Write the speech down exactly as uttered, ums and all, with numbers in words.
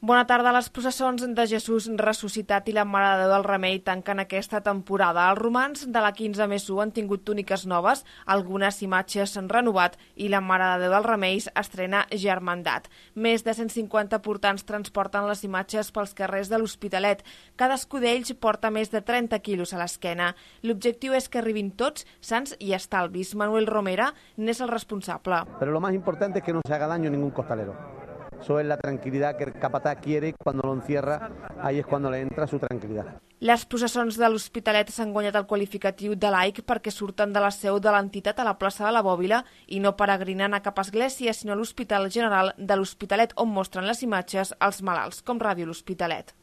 Bona tarda. Les processons de Jesús ressuscitat i la Mare de Déu del Remei tanquen aquesta temporada. Els romans de la quinze més u han tingut túniques noves, algunes imatges s'han renovat i la Mare de Déu del Remei estrena Germandat. Més de cent cinquanta portants transporten les imatges pels carrers de l'Hospitalet. Cadascú d'ells porta més de trenta quilos a l'esquena. L'objectiu és que arribin tots sants i estalvis. Manuel Romera n'és el responsable. Pero lo más importante es que no se haga daño a ningún costalero. Eso es la tranquilidad que el capataz quiere y cuando lo encierra, ahí es cuando le entra su tranquilidad. Les processons de l'Hospitalet s'han guanyat el qualificatiu de laic perquè surten de la seu de l'entitat a la plaça de la Bòbila i no peregrinen a cap església, sinó a l'Hospital General de l'Hospitalet, on mostren les imatges als malalts, com Ràdio L'Hospitalet.